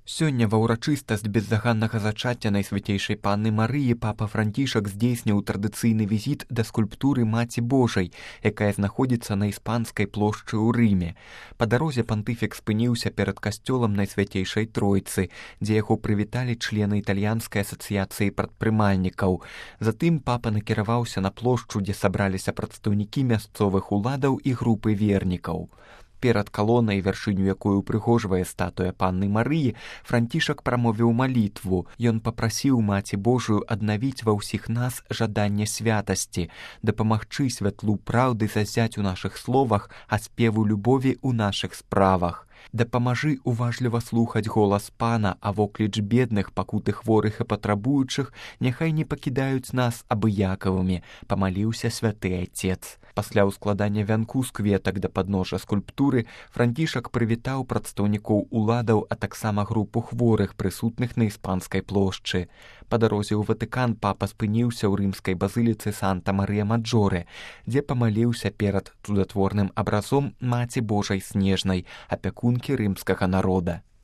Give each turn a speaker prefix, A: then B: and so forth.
A: Сёння ва ўрачыстасць бездаганнага зачацця Найсвяцейшай Панны Марыі папа Францішак здзейсніў традыцыйны візіт да скульптуры Маці Божай, якая знаходзіцца на Іспанскай плошчы ў Рыме. Па дарозе пантыфік спыніўся перад касцёлам Найсвяцейшай Тройцы, дзе яго прывіталі члены італьянскай асацыяцыі прадпрымальнікаў. Затым папа накіраваўся на плошчу, дзе сабраліся прадстаўнікі мясцовых уладаў і групы вернікаў. Перад калонай, вяршыню якой упрыгожвае статуя Панны Марыі, Францішак прамовіў малітву. Ён папрасіў Маці Божую аднавіць ва ўсіх нас жаданне святасці, дапамагчы святлу праўды зазяць у нашых словах, а спеву любові ў нашых справах. Дапамажы уважліва слухаць голас Пана, а вокліч бедных, пакуты хворых і патрабуючых няхай не пакідаюць нас абыякавымі, памаліўся святы Айцец. Пасля ўскладання вянку з кветак да падножжа скульптуры Францішак прывітаў прадстаўнікоў уладаў, а таксама групу хворых, прысутных на Іспанскай плошчы. Па дарозе ў Ватыкан папа спыніўся ў рымскай базыліцы Санта-Марыя-Маджоре, дзе памаліўся перад цудатворным абразом Маці Божай Снежнай, апякункі рымскага народа.